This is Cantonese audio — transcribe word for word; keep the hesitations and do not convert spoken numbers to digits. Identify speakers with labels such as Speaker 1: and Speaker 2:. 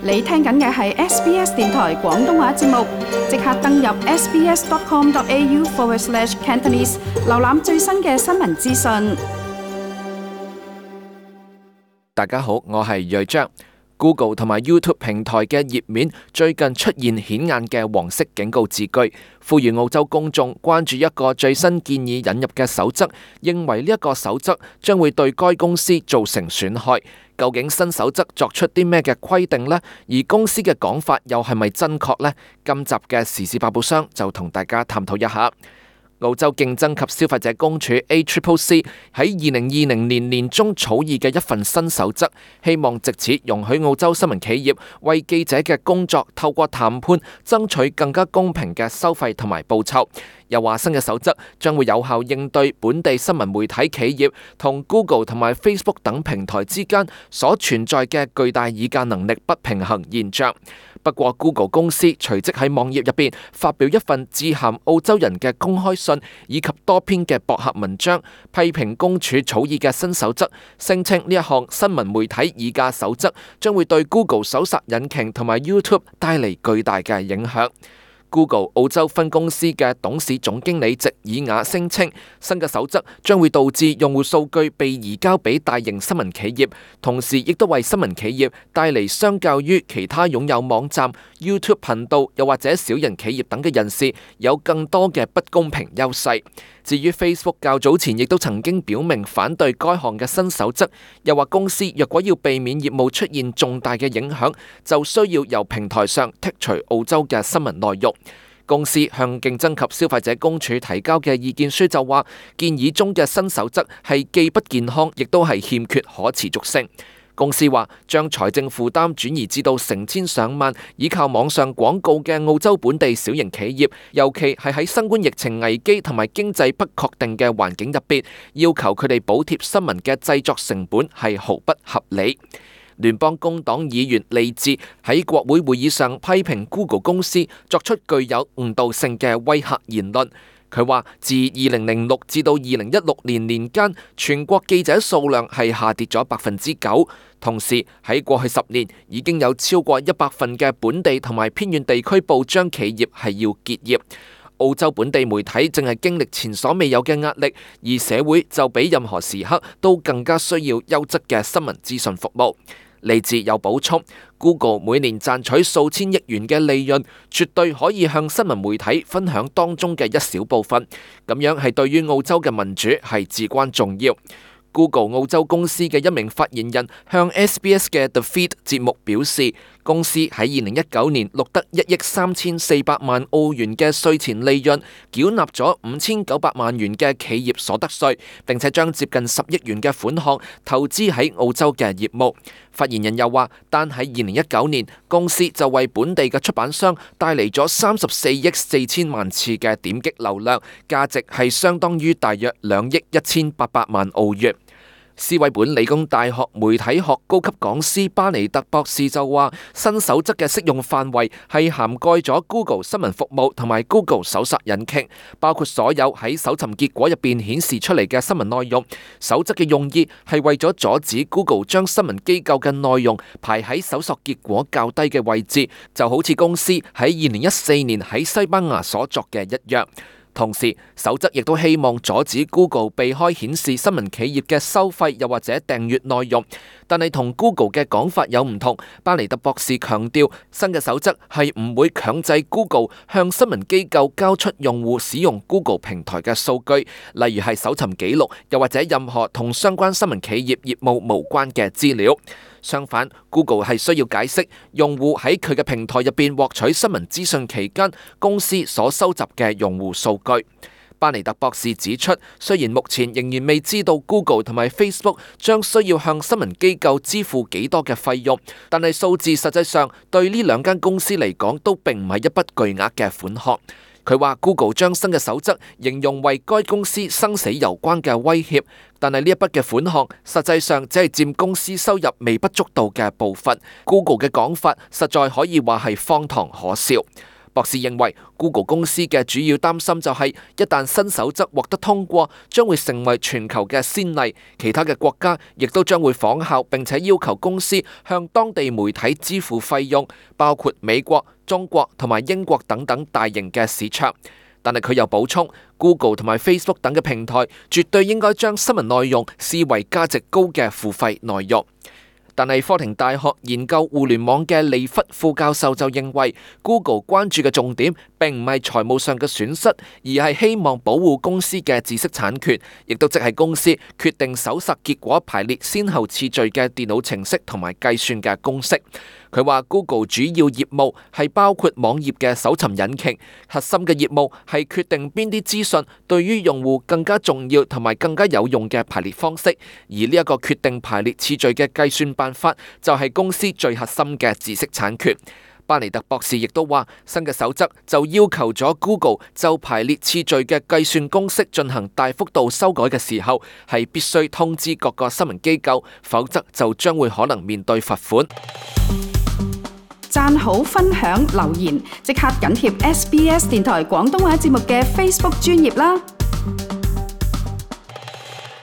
Speaker 1: 你聽緊嘅係 S B S 電台廣東話節目，即刻登入 sbs.com.au forward slash Cantonese， 瀏覽最新嘅新聞資訊。
Speaker 2: 大家好，我係睿章。Google 同埋 YouTube 平台嘅頁面最近出現顯眼嘅黃色警告字句，呼籲澳洲公眾關注一個最新建議引入嘅守則，認為呢一個守則將會對該公司造成損害。究竟新守則作出啲咩嘅規定呢？而公司嘅講法又係咪真確呢？今集嘅時事百寶箱就同大家探討一下。澳洲競爭及消費者公署 A C C C 喺二零二零年年中草擬嘅一份新守則，希望藉此容許澳洲新聞企業為記者嘅工作透過談判爭取更加公平嘅收費同埋報酬。又話新嘅守則將會有效應對本地新聞媒體企業同 Google 同埋 Facebook 等平台之間所存在嘅巨大議價能力不平衡現象。不過 Google 公司隨即喺網頁入邊發表一份致函澳洲人嘅公開信，以及多篇嘅博客文章，批評公署草擬嘅新守則，聲稱呢一項新聞媒體議價守則將會對 Google 搜索引擎同埋 YouTube 帶嚟巨大嘅影響。Google 澳洲分公司嘅董事總經理席爾雅聲稱，新嘅守則將會導致用戶數據被移交俾大型新聞企業，同時亦都為新聞企業帶嚟相較於其他擁有網站、YouTube 頻道又或者小型企業等嘅人士有更多嘅不公平優勢。至於 Facebook 較早前亦都曾經表明反對該項嘅新守則，又話公司若果要避免業務出現重大嘅影響，就需要由平台上剔除澳洲嘅新聞內容。公司向競爭及消費者公署提交嘅意見書就話，建議中嘅新守則係既不健康，亦都係欠缺可持續性。公司話將財政負擔轉移至到成千上萬依靠網上廣告嘅澳洲本地小型企業，尤其係喺新冠疫情危機同埋經濟不確定嘅環境入邊，要求佢哋補貼新聞嘅製作成本係毫不合理。聯邦工黨議員利智喺國會會議上批評 Google 公司作出具有誤導性嘅威嚇言論。佢話自二零零六至到二零一六年年間，全國記者數量係下跌咗百分之九。同時喺過去十年，已經有超過一百份嘅本地同埋偏遠地區報章企業係要結業。澳洲本地媒體正係經歷前所未有嘅壓力，而社會就比任何時刻都更加需要優質嘅新聞資訊服務。利智有補充 ，Google 每年賺取數千億元嘅利潤，絕對可以向新聞媒體分享當中嘅一小部分，咁樣係對於澳洲嘅民主係至關重要。Google 澳洲公司嘅一名發言人向 S B S 嘅 The Feed 節目表示，公司喺二零一九年錄得一億三千四百萬澳元嘅稅前利潤，繳納咗五千九百萬元嘅企業所得稅，並且將接近十億元嘅款項投資喺澳洲嘅業務。發言人又話，單喺二零一九年，公司就為本地嘅出版商帶嚟咗三十四億四千萬次嘅點擊流量，價值係相當於大約兩億一千八百萬澳元。斯韋本理工大學媒體學高級講師巴尼特博士就話，新守則嘅適用範圍係涵蓋咗 Google 新聞服務同埋 Google 搜索引擎，包括所有喺搜尋結果入邊顯示出嚟嘅新聞內容。守則嘅用意係為咗阻止 Google 將新聞機構嘅內容排喺搜索結果較低嘅位置，就好似公司喺二零一四年喺西班牙所作嘅一樣。同時，守則亦都希望阻止 Google 避開顯示新聞企業嘅收費又或者訂閱內容，但係同 Google 嘅講法有唔同。巴尼特博士強調，新嘅守則係唔會強制 Google 向新聞機構交出用戶使用 Google 平台嘅數據，例如係搜尋記錄，又或者任何同相關新聞企業業務無關嘅資料。相反 ，Google 係需要解釋用戶喺佢嘅平台入邊獲取新聞資訊期間，公司所收集嘅用戶數據。巴尼特博士指出，雖然目前仍然未知道 Google 同埋 Facebook 將需要向新聞機構支付幾多嘅費用，但係數字實際上對呢兩間公司嚟講都並唔係一筆巨額嘅款項。佢話 Google 將新嘅守則形容為該公司生死攸關嘅威脅，但係呢一筆嘅款項實際上只係佔公司收入微不足道嘅部分。Google 嘅講法實在可以話係荒唐可笑。博士認為 Google 公司嘅主要擔心就係一旦新守則獲得通過，將會成為全球嘅先例，其他嘅國家亦都將會仿效，並且要求公司向當地媒體支付費用，包括美國、中國同埋英國等等大型嘅市場。但係佢又補充 ，Google 同埋 Facebook 等嘅平台絕對應該將新聞內容視為價值高嘅付費內容。但係科廷大學研究互聯網嘅利弗副教授就認為 ，Google 關注嘅重點並唔係財務上嘅損失，而係希望保護公司嘅知識產權，亦都即係公司決定搜索結果排列先後次序嘅電腦程式同埋計算嘅公式。佢話 Google 主要業務係包括網頁嘅搜尋引擎，核心嘅業務係決定邊啲資訊對於用戶更加重要同埋更加有用嘅排列方式，而呢一個決定排列次序嘅計算辦法就係公司最核心嘅知識產權。巴尼特博士亦都話，新嘅守則就要求咗 Google 就排列次序嘅計算公式進行大幅度修改嘅時候，係必須通知各個新聞機構，否則就將會可能面對罰款。
Speaker 1: 讚好、分享、留言，即刻緊貼 S B S 電台廣東話節目嘅 Facebook 專頁啦！